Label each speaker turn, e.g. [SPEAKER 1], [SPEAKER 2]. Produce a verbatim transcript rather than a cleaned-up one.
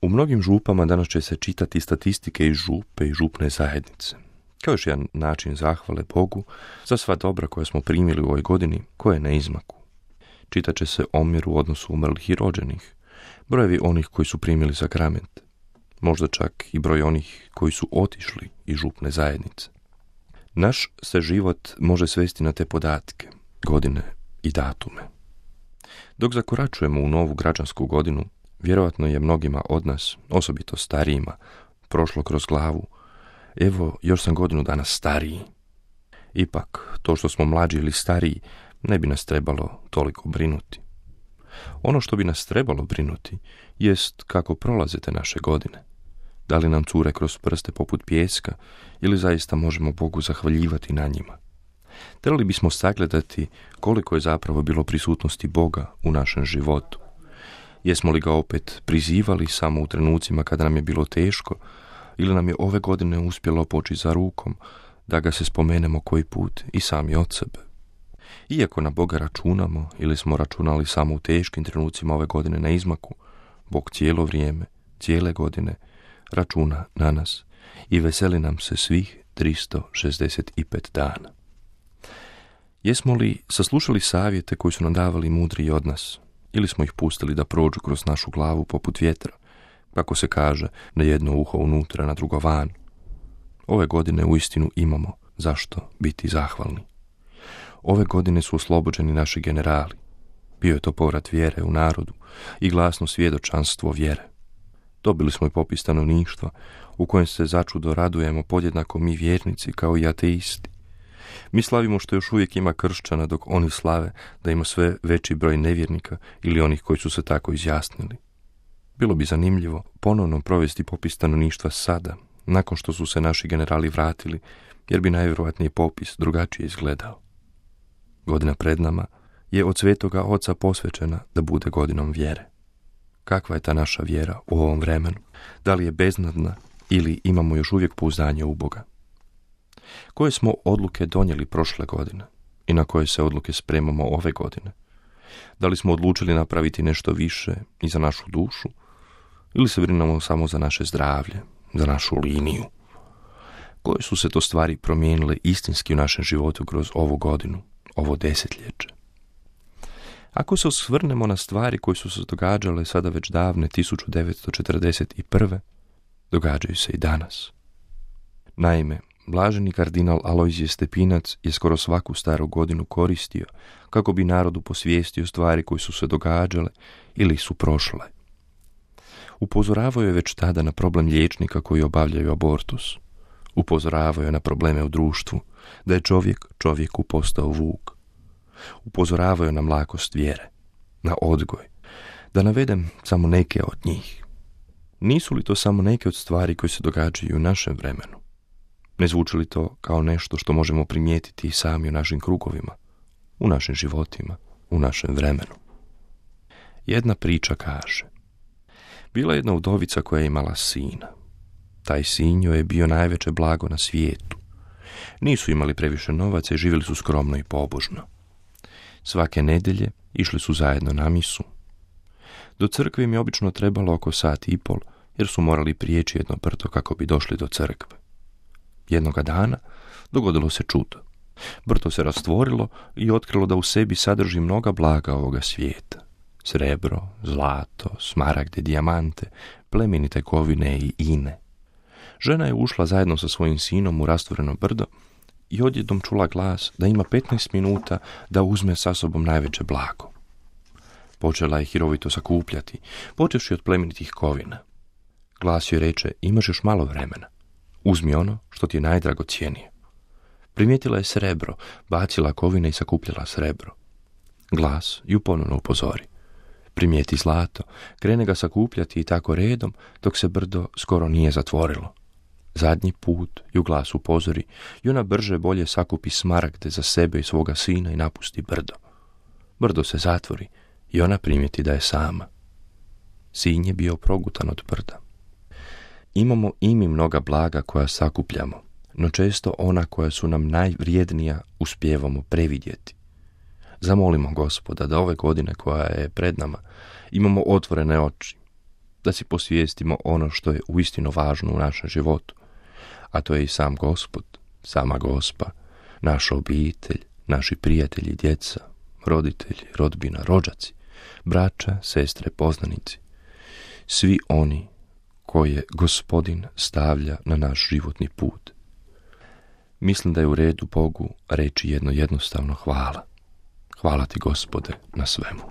[SPEAKER 1] U mnogim župama danas će se čitati statistike iz župe i župne zajednice, kao još jedan način zahvale Bogu za sva dobra koja smo primili u ovoj godini, koje je na izmaku. Čitat će se omjer u odnosu umrlih i rođenih, brojevi onih koji su primili sakrament, možda čak i broj onih koji su otišli iz župne zajednice. Naš se život može svesti na te podatke, godine i datume. Dok zakoračujemo u novu građansku godinu, vjerojatno je mnogima od nas, osobito starijima, prošlo kroz glavu: evo, još sam godinu dana stariji. Ipak, to što smo mlađi ili stariji ne bi nas trebalo toliko brinuti. Ono što bi nas trebalo brinuti jest kako prolaze te naše godine. Da li nam cure kroz prste poput pijeska ili zaista možemo Bogu zahvaljivati na njima? Trebali bismo sagledati koliko je zapravo bilo prisutnosti Boga u našem životu. Jesmo li ga opet prizivali samo u trenucima kada nam je bilo teško, ili nam je ove godine uspjelo poći za rukom da ga se spomenemo koji put i sami od sebe? Iako na Boga računamo ili smo računali samo u teškim trenucima ove godine na izmaku, Bog cijelo vrijeme, cijele godine računa na nas i veseli nam se svih tristo šezdeset pet dana. Jesmo li saslušali savjete koji su nam davali mudriji od nas, ili smo ih pustili da prođu kroz našu glavu poput vjetra, kako se kaže, na jedno uho unutra, na drugo van? Ove godine uistinu imamo zašto biti zahvalni. Ove godine su oslobođeni naši generali. Bio je to povrat vjere u narodu i glasno svjedočanstvo vjere. Dobili smo i popis stanovništva u kojem se začudo radujemo podjednako mi vjernici kao i ateisti. Mi slavimo što još uvijek ima kršćana, dok oni slave da ima sve veći broj nevjernika ili onih koji su se tako izjasnili. Bilo bi zanimljivo ponovno provesti popis stanovništva sada, nakon što su se naši generali vratili, jer bi najvjerojatnije popis drugačije izgledao. Godina pred nama je od Svetoga Oca posvećena da bude godinom vjere. Kakva je ta naša vjera u ovom vremenu? Da li je beznadna ili imamo još uvijek pouzdanje u Boga? Koje smo odluke donijeli prošle godine i na koje se odluke spremamo ove godine? Da li smo odlučili napraviti nešto više i za našu dušu ili se brinemo samo za naše zdravlje, za našu liniju? Koje su se to stvari promijenile istinski u našem životu kroz ovu godinu, ovo desetljeće? Ako se osvrnemo na stvari koje su se događale sada već davne tisuću devetsto četrdeset prve, događaju se i danas. Naime, blaženi kardinal Alojzije Stepinac je skoro svaku staru godinu koristio kako bi narodu posvijestio stvari koje su se događale ili su prošle. Upozoravao je već tada na problem liječnika koji obavljaju abortus. Upozoravao je na probleme u društvu, da je čovjek čovjeku postao vuk. Upozoravao je na mlakost vjere, na odgoj. Da navedem samo neke od njih. Nisu li to samo neke od stvari koje se događaju u našem vremenu? Ne zvuči li to kao nešto što možemo primijetiti i sami u našim krugovima, u našim životima, u našem vremenu? Jedna priča kaže: bila je jedna udovica koja je imala sina. Taj sin joj je bio najveće blago na svijetu. Nisu imali previše novaca i živjeli su skromno i pobožno. Svake nedjelje išli su zajedno na misu. Do crkve im je obično trebalo oko sat i pol, jer su morali prijeći jedno brdo kako bi došli do crkve. Jednoga dana dogodilo se čudo. Brdo se rastvorilo i otkrilo da u sebi sadrži mnoga blaga ovoga svijeta. Srebro, zlato, smaragde, dijamante, plemenite kovine i ine. Žena je ušla zajedno sa svojim sinom u rastvoreno brdo i odjednom čula glas da ima petnaest minuta da uzme sa sobom najveće blago. Počela je hirovito sakupljati, počevši od plemenitih kovina. Glas joj reče: imaš još malo vremena. Uzmi ono što ti je najdragocjenije. Primijetila je srebro, bacila kovine i sakupljala srebro. Glas ju ponovno upozori: primijeti zlato, krene ga sakupljati i tako redom dok se brdo skoro nije zatvorilo. Zadnji put ju glas upozori i ona brže bolje sakupi smaragde za sebe i svoga sina i napusti brdo. Brdo se zatvori i ona primijeti da je sama. Sin je bio progutan od brda. Imamo i mi mnoga blaga koja sakupljamo, no često ona koja su nam najvrijednija uspijevamo previdjeti. Zamolimo Gospoda da ove godine koja je pred nama imamo otvorene oči, da si posvijestimo ono što je uistinu važno u našem životu, a to je i sam Gospod, sama Gospa, naša obitelj, naši prijatelji, djeca, roditelji, rodbina, rođaci, braća, sestre, poznanici, svi oni koje Gospodin stavlja na naš životni put. Mislim da je u redu Bogu reći jedno jednostavno hvala. Hvala ti, Gospode, na svemu.